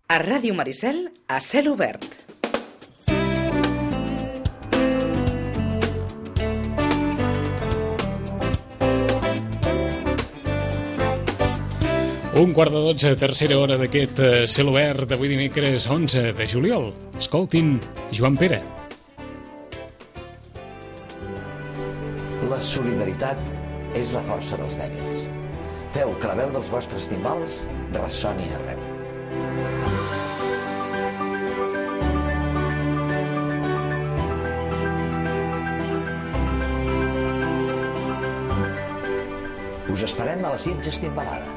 A Ràdio Maricel, a cel obert. Un quart de 12, tercera hora d'aquest cel obert d'avui dimecres 11 de juliol. Escoltin Joan Pere. La solidaritat és la força dels dèbils. Feu que la veu dels vostres timbals ressoni arreu. Us esperem a la Sitges Timbalada.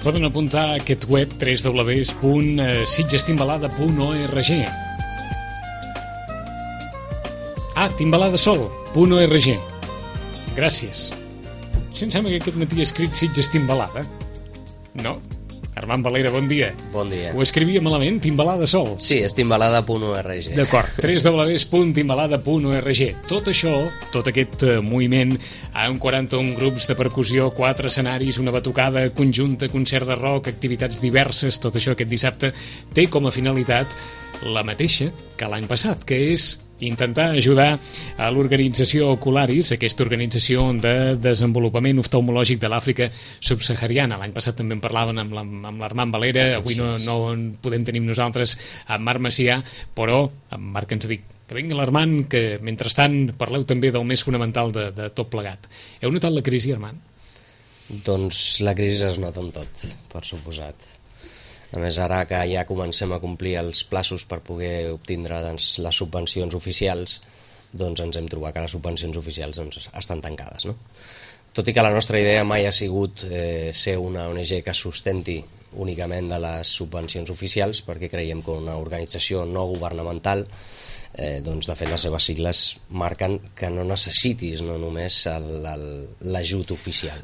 Poden apuntar a aquest web www.sitgestimbalada.org. timbaladasol.org. Gràcies. Si em sembla que aquest matí he escrit Sitges Timbalada. No? Armand Valera, bon dia. Bon dia. Ho escrivia malament, Timbaladasol. Sí, és timbalada.org. D'acord, www.timbalada.org. Tot això, tot aquest moviment, amb 41 grups de percussió, 4 escenaris, una batucada conjunta, concert de rock, activitats diverses, tot això aquest dissabte, té com a finalitat la mateixa que l'any passat, que és intentar ajudar a l'organització Ocularis, aquesta organització de desenvolupament oftalmològic de l'Àfrica subsahariana. L'any passat també en parlaven amb l'Armand Valera, avui no en podem tenir nosaltres amb Marc Macià, però en Marc ens ha dit que vingui l'Armand, que mentrestant parleu també del més fonamental de tot plegat. Heu notat la crisi, Armand? Doncs la crisi es nota en tot, per suposat. A més, ara que ja comencem a complir els plaços per poder obtindre les subvencions oficials, doncs ens hem trobat que les subvencions oficials estan tancades, no? Tot i que la nostra idea mai ha sigut ser una ONG que sustenti únicament de les subvencions oficials, perquè creiem que una organització no governamental, doncs de fet les seves sigles marquen que no necessitis no només l'ajut oficial,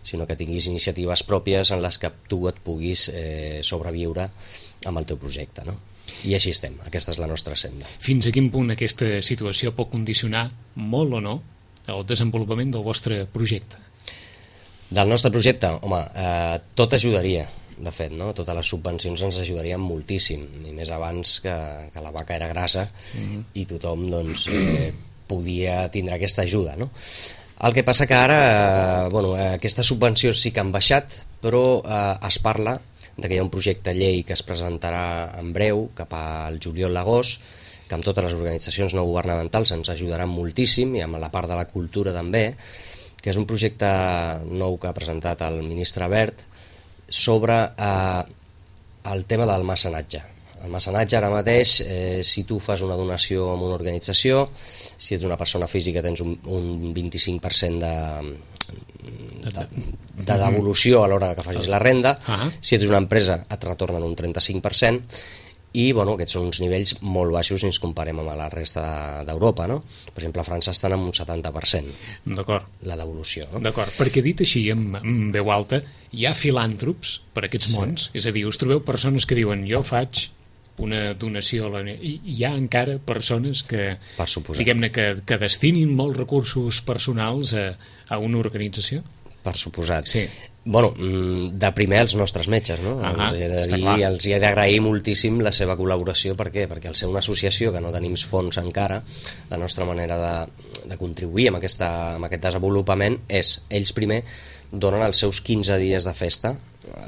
sinó que tinguis iniciatives pròpies en les que tu et puguis sobreviure amb el teu projecte, no? I així estem, aquesta és la nostra senda. Fins a quin punt aquesta situació pot condicionar molt o no el desenvolupament del vostre projecte? Del nostre projecte, home, tot ajudaria. De fet, no? Totes les subvencions ens ajudarien moltíssim, i més abans que la vaca era grassa i tothom doncs, podia tindre aquesta ajuda, no? El que passa que ara aquestes subvencions sí que han baixat, però es parla de que hi ha un projecte llei que es presentarà en breu, cap al juliol-agost, que amb totes les organitzacions no governamentals ens ajudaran moltíssim, i amb la part de la cultura també, que és un projecte nou que ha presentat el ministre Wert, sobre el tema del mecenatge. El mecenatge ara mateix, si tu fas una donació a una organització, si ets una persona física tens un 25% de devolució a l'hora que facis la renda, si ets una empresa et retornen un 35%, i aquests són uns nivells molt baixos si ens comparem amb la resta d'Europa, no? Per exemple, a França estan en un 70%. D'acord. La devolució. No? D'acord, perquè dit així, amb veu alta, hi ha filàntrops per aquests mons? És a dir, us trobeu persones que diuen jo faig una donació a i hi ha encara persones que, diguem-ne, que destinin molts recursos personals a una organització? Per suposat. Sí. De primer els nostres metges, no? Els he d'agrair moltíssim la seva col·laboració. Per què? Perquè al ser una associació que no tenim fons encara, la nostra manera de contribuir amb aquest desenvolupament és, ells primer donen els seus 15 dies de festa,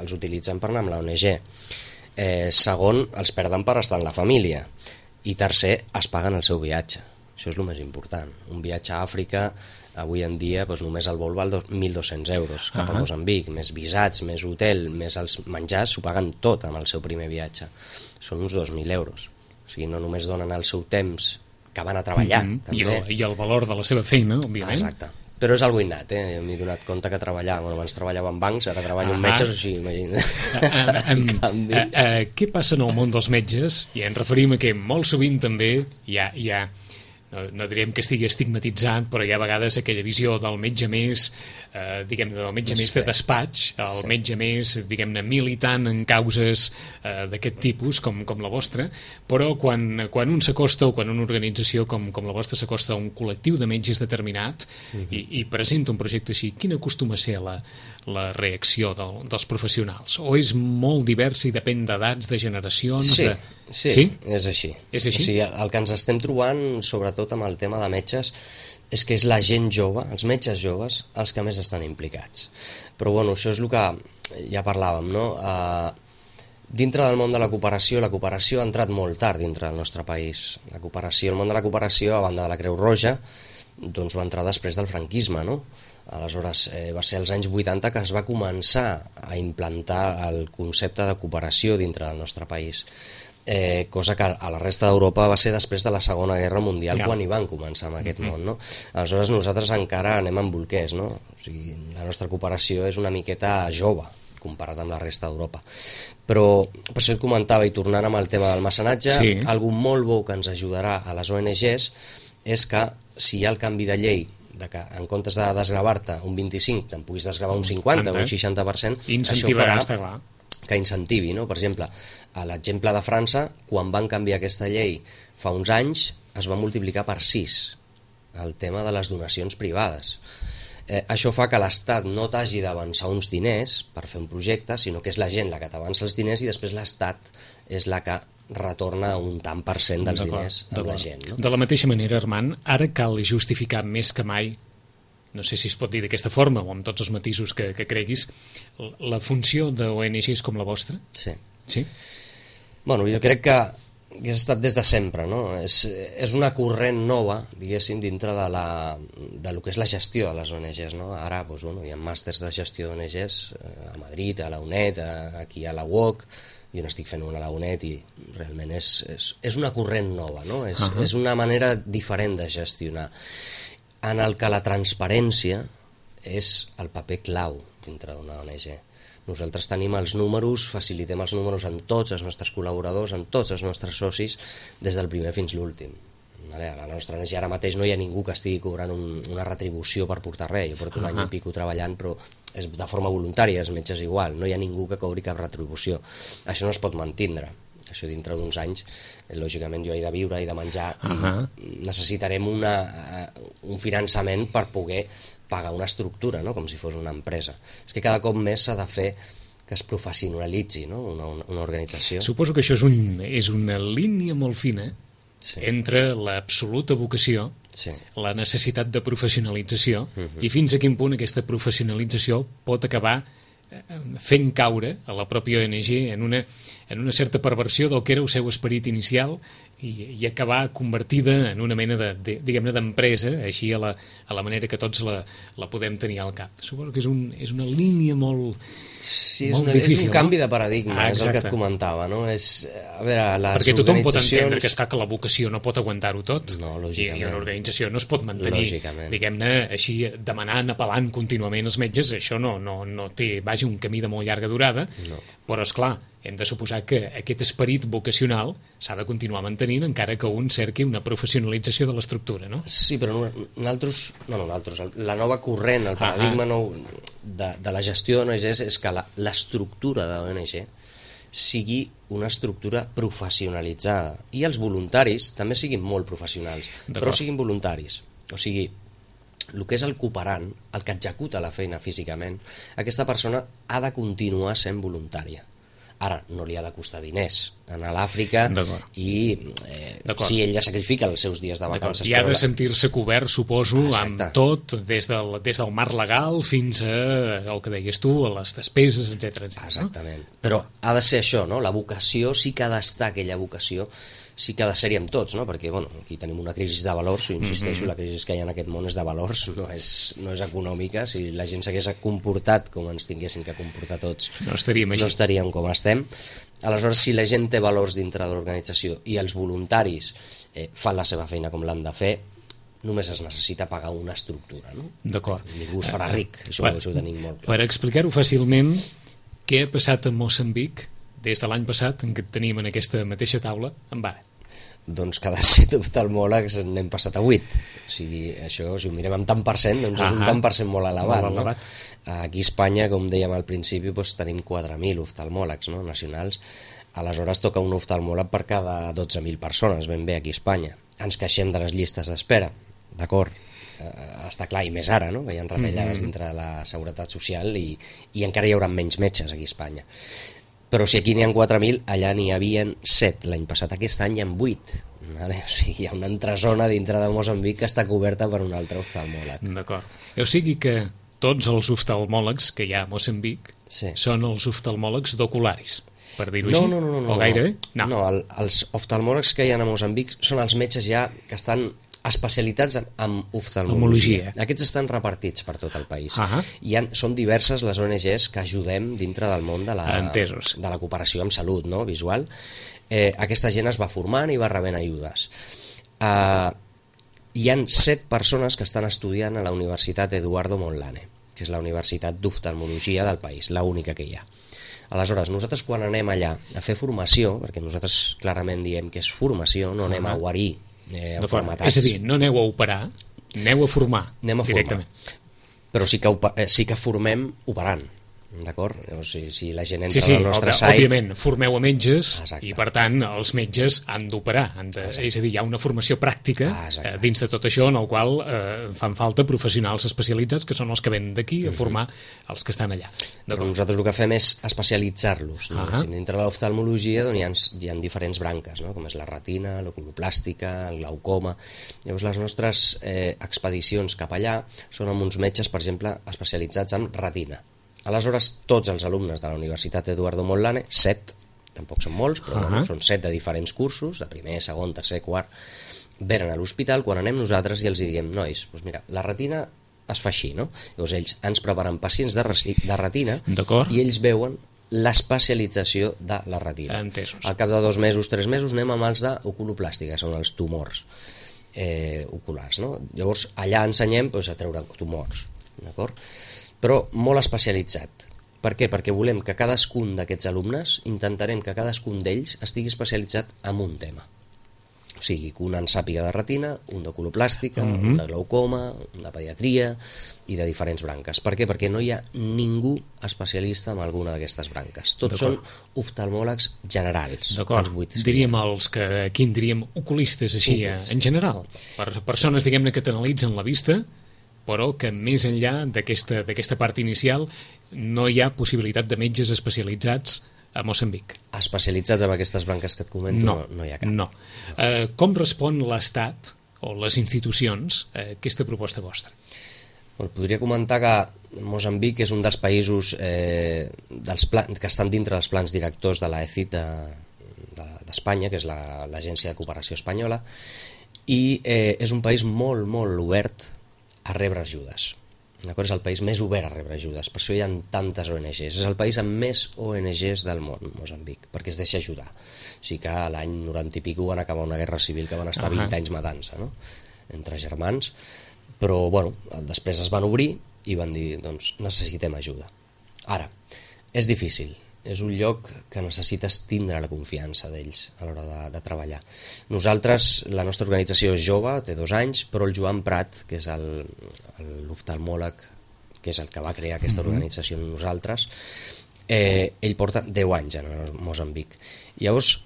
els utilitzen per anar amb la ONG. Segon, els perden per estar en la família. I tercer, es paguen el seu viatge. Això és el més important. Un viatge a Àfrica avui en dia només el vol val 1.200 euros cap a Moçambic, més visats, més hotel, més els menjars, s'ho paguen tot amb el seu primer viatge. Són uns 2.000 euros. O sigui, no només donen el seu temps que van a treballar. I el valor de la seva feina, òbviament. Exacte. Però és algo innat, m'he donat compte que abans treballava en bancs, ara treballo en metges, així, imagina't. Què passa en el món dels metges? I ens referim a que molt sovint també hi ha no diríem que estigui estigmatitzat, però hi ha a vegades aquella visió del metge més, diguem-ne, del metge més de despatx, el metge més, diguem-ne, militant en causes d'aquest tipus, com la vostra, però quan un s'acosta, o quan una organització com la vostra s'acosta a un col·lectiu de metges determinat i presenta un projecte així, quina acostuma a ser la reacció dels professionals? O és molt divers i depèn d'edats, de generacions? Sí, és així. És així? O sigui, el que ens estem trobant, sobretot amb el tema de metges, és que és la gent jove, els metges joves, els que més estan implicats. Però bueno, això és el que ja parlàvem, no? Dintre del món de la cooperació ha entrat molt tard dintre del nostre país. El món de la cooperació, a banda de la Creu Roja, doncs va entrar després del franquisme, no? Aleshores, va ser als anys 80 que es va començar a implantar el concepte de cooperació dintre del nostre país. Cosa que a la resta d'Europa va ser després de la Segona Guerra Mundial quan hi van començar amb aquest món, no? Aleshores nosaltres encara anem amb bolquers, no? O sigui, la nostra cooperació és una miqueta jove comparat amb la resta d'Europa. Però per això et comentava, i tornant amb el tema del mecenatge, algo molt bo que ens ajudarà a les ONGs és que si hi ha el canvi de llei de que en comptes de desgravar-te un 25 te'n puguis desgravar un 50 o un 60%, això farà que incentivi, no? Per exemple, a l'exemple de França, quan van canviar aquesta llei fa uns anys, es va multiplicar per 6 el tema de les donacions privades. Això fa que l'Estat no t'hagi d'avançar uns diners per fer un projecte, sinó que és la gent la que t'avança els diners i després l'Estat és la que retorna un tant per cent dels diners a la gent. No? De la mateixa manera, Armand, ara cal justificar més que mai, no sé si es pot dir d'aquesta forma o amb tots els matisos que creguis, la funció d'ONGs com la vostra? Sí. Bueno, jo crec que ha estat des de sempre, no? És una corrent nova, diguéssim, dintre de lo que és la gestió de les ONGs, no? Ara doncs, bueno, hi ha màsters de gestió d'ONGs a Madrid, a la UNED, aquí a la UOC, jo n'estic fent una a la UNED i realment és una corrent nova, no? És una manera diferent de gestionar, en el que la transparència és el paper clau dintre d'una ONG. Nosaltres tenim els números, facilitem els números en tots els nostres col·laboradors, en tots els nostres socis, des del primer fins l'últim. A la nostra ONG ara mateix no hi ha ningú que estigui cobrant una retribució per portar res. Jo porto un any i pico treballant, però és de forma voluntària, els metges igual, no hi ha ningú que cobri cap retribució. Això no es pot mantindre. Això dintre d'uns anys, lògicament jo he de viure, he de menjar, necessitarem un finançament per poder pagar una estructura, no? Com si fos una empresa. És que cada cop més s'ha de fer que es professionalitzi, no? Una organització. Suposo que això és una línia molt fina entre l'absoluta vocació, la necessitat de professionalització, i fins a quin punt aquesta professionalització pot acabar fent caure a la pròpia ONG en una certa perversió del que era el seu esperit inicial i acabar convertida en una mena diguem-ne d'empresa, així a la manera que tots la podem tenir al cap. Suposo que és una línia molt difícil. És un canvi de paradigma, és el que et comentava, no? Perquè tothom pot entendre que la vocació no pot aguantar-ho tot, i una organització no es pot mantenir, diguem-ne, així demanant, apel·lant contínuament els metges. Això no té, vaja, un camí de molt llarga durada, però esclar, hem de suposar que aquest esperit vocacional s'ha de continuar mantenint encara que un cerqui una professionalització de l'estructura, no? Sí, però la nova corrent, el paradigma nou de la gestió d'ONGs és que l'estructura de l'ONG sigui una estructura professionalitzada i els voluntaris també siguin molt professionals, però siguin voluntaris. O sigui, el que és el cooperant, el que executa la feina físicament, aquesta persona ha de continuar sent voluntària. Ara, no li ha de costar diners anar a l'Àfrica i si ell ja sacrifica els seus dies de vacances. I ha de sentir-se cobert, suposo, amb tot, des del marc legal fins al que deies tu, a les despeses, etc. Exactament. Però ha de ser això, no? La vocació sí que ha d'estar, aquella vocació sí que ha de ser-hi amb tots, no? Perquè aquí tenim una crisi de valors, insisteixo, la crisi que hi ha en aquest món és de valors, no és econòmica. Si la gent s'hagués comportat com ens tinguessin que comportar tots, no estaríem com estem. Aleshores, si la gent té valors dintre de l'organització i els voluntaris fan la seva feina com l'han de fer, només es necessita pagar una estructura, no? D'acord. Ningú es farà ric, això ho tenim molt clar. Per explicar-ho fàcilment, què ha passat a Moçambic des de l'any passat, en què et tenim en aquesta mateixa taula, amb ara? Doncs cada 7 oftalmòlegs n'hem passat a 8. O sigui, això, si ho mirem en tant per cent, doncs és un tant per cent molt elevat. Molt elevat. No? Aquí a Espanya, com dèiem al principi, doncs tenim 4.000 oftalmòlegs, no? Nacionals. Aleshores toca un oftalmòleg per cada 12.000 persones, ben bé, aquí a Espanya. Ens queixem de les llistes d'espera, d'acord, està clar, i més ara, no? Que hi ha retallades dintre de la Seguretat Social i encara hi haurà menys metges aquí a Espanya. Però si aquí n'hi ha 4.000, allà n'hi havia 7 l'any passat, aquest any hi ha 8. Vale? O sigui, hi ha una entresona dintre de Moçambic que està coberta per un altre oftalmòleg. D'acord. O sigui que tots els oftalmòlegs que hi ha a Moçambic són els oftalmòlegs d'ocularis, per dir-ho així? No. O gairebé? No, els oftalmòlegs que hi ha a Moçambic són els metges ja que estan especialitats en oftalmologia. Aquests estan repartits per tot el país. Són diverses les ONGs que ajudem dintre del món de la cooperació amb salut, no? Visual. Aquesta gent es va formant i va rebent ajudes. Hi han 7 persones que estan estudiant a la Universitat Eduardo Mondlane, que és la universitat d'oftalmologia del país, l'única que hi ha. Aleshores, nosaltres quan anem allà a fer formació, perquè nosaltres clarament diem que és formació, no anem a guarir formatats. És a dir, no aneu a operar, aneu a formar. Anem a formar. Però sí que formem operant, d'acord? O sigui, si la gent entra al nostre site... Òbviament, formeu a metges. Exacte. I per tant els metges han d'operar. És a dir, hi ha una formació pràctica dins de tot això en el qual fan falta professionals especialitzats que són els que venen d'aquí a formar els que estan allà. Però nosaltres el que fem és especialitzar-los. Dintre de l'oftalmologia hi ha diferents branques, no? Com és la retina, l'oculoplàstica, el glaucoma. Llavors les nostres expedicions cap allà són amb uns metges, per exemple, especialitzats en retina. Aleshores, tots els alumnes de la Universitat Eduardo Mondlane, 7, tampoc són molts, però són 7 de diferents cursos, de primer, segon, tercer, quart, venen a l'hospital, quan anem nosaltres i els diem, nois, doncs mira, la retina es fa així, no? Llavors ells ens preparen pacients de retina i ells veuen l'especialització de la retina. Entesos. Al cap de 2 mesos, 3 mesos, anem amb els d'oculoplàstica, que són els tumors oculars, no? Llavors allà ensenyem a treure tumors, d'acord? Però molt especialitzat. Per què? Perquè volem que cadascun d'aquests alumnes, intentarem que cadascun d'ells estigui especialitzat en un tema. O sigui, que un en sàpiga de retina, un d'oculoplàstica, un de glaucoma, un de pediatria i de diferents branques. Per què? Perquè no hi ha ningú especialista en alguna d'aquestes branques. Tots són oftalmòlegs generals. D'acord. Diríem els que aquí en diríem oculistes, així, en general. Per persones, diguem-ne, que t'analitzen la vista, però que més enllà d'aquesta part inicial no hi ha possibilitat de metges especialitzats a Moçambic. Especialitzats en aquestes branques que et comento no hi ha cap. No. Com respon l'Estat o les institucions a aquesta proposta vostra? Podria comentar que Moçambic és un dels països que estan dintre dels plans directors de l'ECIT d'Espanya, que és l'Agència de Cooperació Espanyola, i és un país molt, molt obert a rebre ajudes. És el país més obert a rebre ajudes, per això hi ha tantes ONGs. És el país amb més ONGs del món, Moçambic, perquè es deixa ajudar. O sigui que l'any 90 i pico van acabar una guerra civil que van estar 20 anys matant-se, no? Entre germans, però després es van obrir i van dir, doncs necessitem ajuda. Ara, és difícil, és un lloc que necessites tindre la confiança d'ells a l'hora de treballar. Nosaltres, la nostra organització és jove, té 2 anys, però el Joan Prat, que és l'oftalmòleg, que és el que va crear aquesta organització amb nosaltres, ell porta 10 anys a Moçambic. Llavors,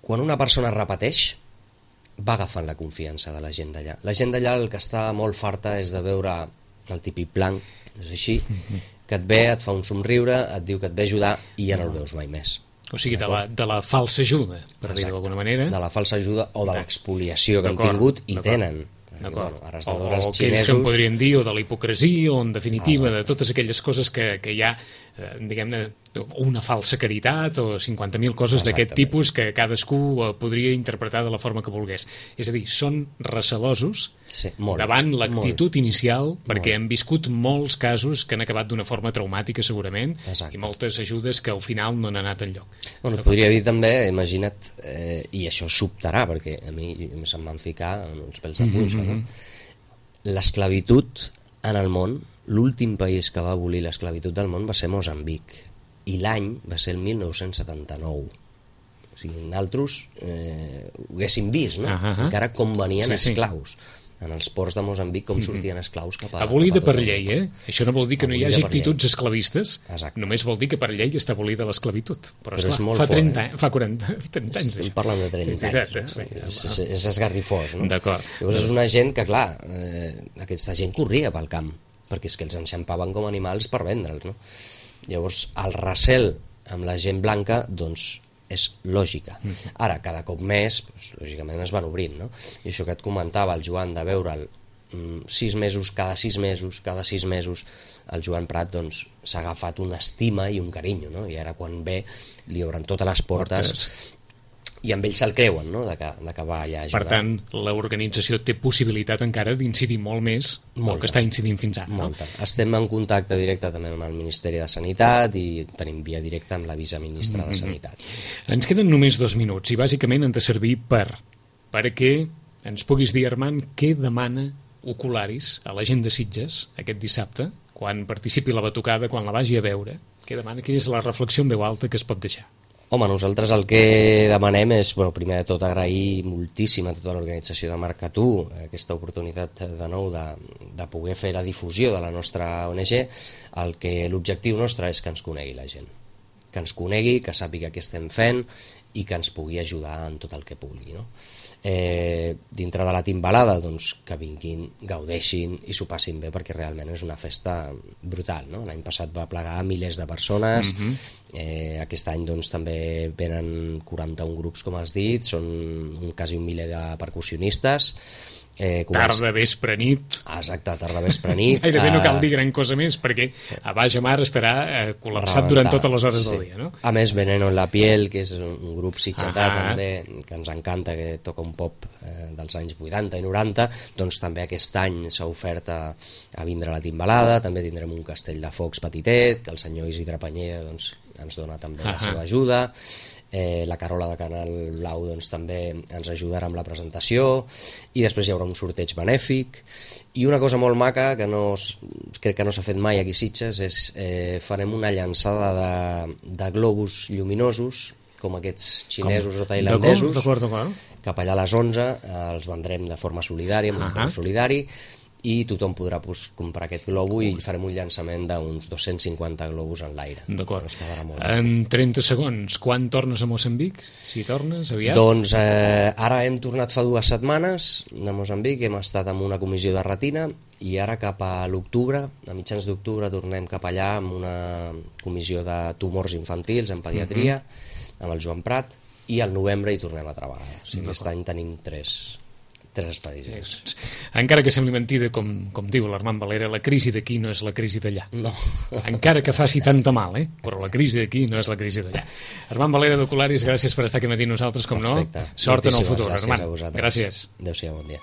quan una persona repeteix, va agafant la confiança de la gent d'allà. La gent d'allà el que està molt farta és de veure el típic blanc, és així, que et ve, et fa un somriure, et diu que et ve ajudar i ja no el veus mai més. O sigui, de la falsa ajuda, per dir-ho d'alguna manera. De la falsa ajuda o de l'expoliació que han tingut i tenen. O aquells que en podrien dir, o de la hipocresia, o en definitiva de totes aquelles coses que hi ha diguem-ne, una falsa caritat o 50.000 coses d'aquest tipus que cadascú podria interpretar de la forma que volgués. És a dir, són recelosos davant l'actitud inicial, perquè han viscut molts casos que han acabat d'una forma traumàtica segurament, i moltes ajudes que al final no han anat enlloc. Bueno, podria dir també, imagina't, i això sobtarà, perquè a mi se'm van ficar uns pèls de punxa, no? L'esclavitud en el món, l'últim país que va abolir l'esclavitud del món va ser Moçambic, i l'any va ser el 1979. O sigui, nosaltres ho haguéssim vist, no? Encara com venien esclaus. En els ports de Moçambic, com sortien esclaus cap a... Abolida per llei, Això no vol dir que no hi hagi actituds esclavistes, només vol dir que per llei està abolida l'esclavitud. Però esclar, fa 30 anys d'això. Estem parlant de 30 anys. És esgarrifós, no? D'acord. Llavors és una gent que, clar, aquesta gent corria pel camp, perquè és que els enxampaven com animals per vendre'ls, no? Llavors, el recel amb la gent blanca, doncs, és lògica. Ara, cada cop més, doncs, lògicament es van obrint, no? I això que et comentava el Joan, de veure'l 6 mesos, cada 6 mesos, el Joan Prat doncs s'ha agafat una estima i un carinyo, no? I ara quan ve li obren totes les portes i amb ells se'l creuen, no? De que va allà a ajudar. Per tant, l'organització té possibilitat encara d'incidir molt més del que està incidint fins ara. Molta. Estem en contacte directe també amb el Ministeri de Sanitat i tenim via directa amb la viceministra de Sanitat. Ens queden només 2 minuts i bàsicament han de servir perquè ens puguis dir, Armand, què demana Ocularis a la gent de Sitges aquest dissabte, quan participi la batucada, quan la vagi a veure. Què demana? Quina és la reflexió en veu alta que es pot deixar? Home, nosaltres el que demanem és, primer de tot, agrair moltíssim a tota l'organització de Marca-Tu aquesta oportunitat de nou de poder fer la difusió de la nostra ONG. L'objectiu nostre és que ens conegui la gent, que ens conegui, que sàpiga què estem fent i que ens pugui ajudar en tot el que pugui, no? Dintre de la timbalada, doncs, que vinguin, gaudeixin i s'ho passin bé, perquè realment és una festa brutal, no? L'any passat va plegar milers de persones, aquest any doncs també venen 41 grups, com has dit, són quasi 1 miler de percussionistes. Tarda, vespre, nit. Exacte, tarda, vespre, nit. Gairebé no cal dir gran cosa més, perquè a Baix Mar estarà col·lapsat durant totes les hores del dia, no? A més, Veneno en la piel, que és un grup sitgetà també, que ens encanta, que toca un pop dels anys 80 i 90, doncs també aquest any s'ha ofert a vindre a la timbalada. També tindrem un castell de focs petitet, que el senyor Isidre Panyella doncs, ens dona també la seva ajuda. La Carola de Canal Blau doncs, també ens ajudarà amb la presentació, i després hi haurà un sorteig benèfic. I una cosa molt maca que crec que no s'ha fet mai aquí a Sitges és farem una llançada de globus lluminosos, com aquests xinesos o tailandesos, cap allà a les 11, els vendrem de forma solidària, amb un preu solidari, i tothom podrà comprar aquest globo i farem un llançament d'uns 250 globus en l'aire. D'acord. En 30 segons, quan tornes a Moçambic? Si tornes aviat? Doncs ara hem tornat fa 2 setmanes de Moçambic, hem estat amb una comissió de retina, i ara cap a l'octubre, a mitjans d'octubre, tornem cap allà amb una comissió de tumors infantils en pediatria, amb el Joan Prat, i al novembre hi tornem a treballar. O sigui, aquest any tenim 3 expedicions. Encara que sembli mentida, com diu l'Armand Valera, la crisi d'aquí no és la crisi d'allà. No. Encara que faci tanta mal, però la crisi d'aquí no és la crisi d'allà. Armand Valera d'Ocularis, gràcies per estar aquí matí nosaltres, com no. Sort en el futur, Armand. Gràcies. Adéu-siau, bon dia.